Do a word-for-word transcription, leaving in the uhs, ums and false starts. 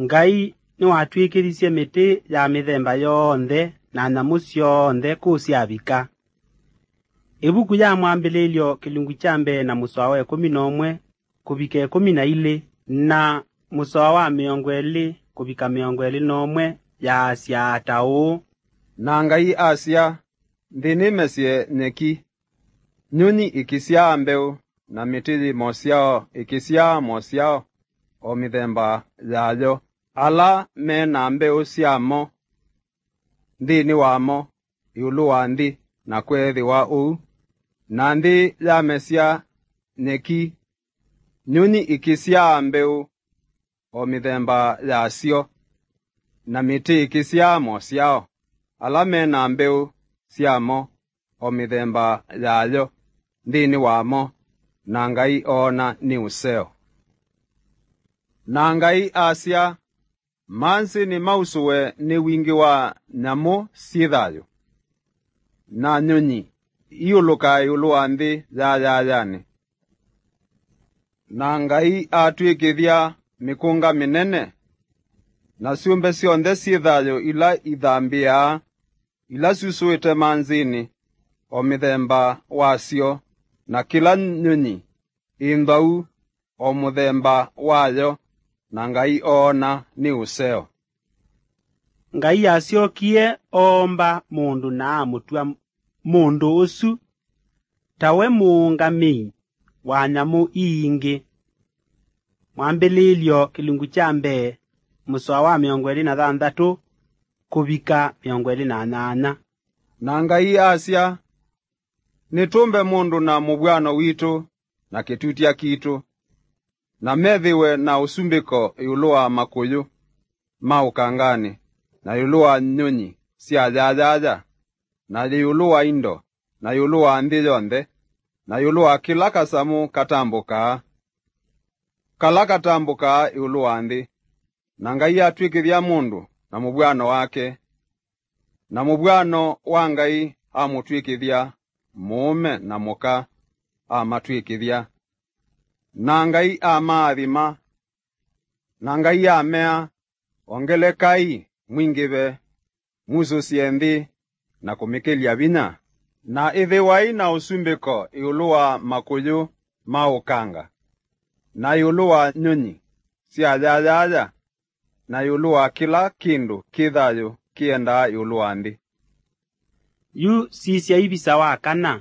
Ngai nĩwatw'ĩkĩthisye mĩtĩ ya mĩthemba yonthe na nyamũ syonthe kũu syavika. Ĩvuku ya Mwambĩlĩlyo kĩlungu kya mbee na mũsoa wa ĩkũmi na ũmwe kũvika ĩkũmi na ilĩ, na mũsoa wa mĩongo ĩlĩ kũvika mĩongo ĩlĩ na ũmwe yaasya ta ũũ. Na Ngai asya, "Nthĩ nĩmesye nyeki, nyũnyi ikĩsyaa mbeũ, na mĩtĩ yĩ mosyao ĩkĩsyaa mosyao o mĩthemba yayo, ala me na mbeũ syamo nthĩnĩ wamo ĩũlũ wa nthĩ." Na kweethĩwa ũu. Na nthĩ yamesya nyeki, nyũnyi ikĩsyaa mbeũ o mĩthemba yasyo, na mĩtĩ ĩkĩsyaa mosyao, ala me na mbeũ syamo o mĩthemba yayo nthĩnĩ wamo, na Ngai oona nĩ ũseo. Na Ngai asya, "Mansĩ nĩmausũwe nĩ wingĩ wa nyamũ syĩ thayũ, na nyũnyi iũlũkaa ĩũlũ wa nthĩ yayayanĩ." Na Ngai atw'ĩkĩthya mĩkũnga mĩnene, na syũmbe syonthe syĩ thayũ ila ithambĩaa, ila syusũĩte mansĩnĩ, o mĩthemba wasyo, na kĩla nyũnyi ĩ nthwau o mũthemba wayo, na Ngai oona nĩ ũseo. Ngai asyokie oomba mũndũ na amũtw'a mũndũ ũsu ta we mũũngamĩi wa nyamũ ii ingĩ. Mwambĩlĩĩlyo kĩlungu kya mbee, mũsoa wa mĩongo ĩlĩ na thanthatũ kũvika mĩongo ĩlĩ na nyanya. Na Ngai asya, "Nĩtũmbe mũndũ na mũvw'ano witũ, na kĩtutya kitũ, na methĩwe na ũsumbĩko ĩũlũ wa makũyũ ma ũkanganĩ, na ĩũlũ wa nyũnyi sya yayaya, na ĩũlũ wa indo, na ĩũlũ wa nthĩ yonthe, na ĩũlũ wa kĩla kasamũ katambũkaa, kala katambũkaa ĩũlũ wa nthĩ." Na Ngai atw'ĩkĩthya mũndũ na mũvw'ano wake, na mũvw'ano wa Ngai amũtw'ĩkĩthya, mũũme na mũka amatw'ĩkĩthya. Na Ngai amaathima, na Ngai amea, "Ongelekai, mwingĩve, musũsye nthĩ na kũmĩkĩlya vinya, na ĩthĩwai na ũsumbĩko ĩũlũ wa makũyũ ma ũkanga, na ĩũlũ wa nyũnyi sya yayaya, na ĩũlũ wa kĩla kĩndũ kĩ thayũ kĩendaa ĩũlũ wa nthĩ." Yu sisya ivisa wa kana,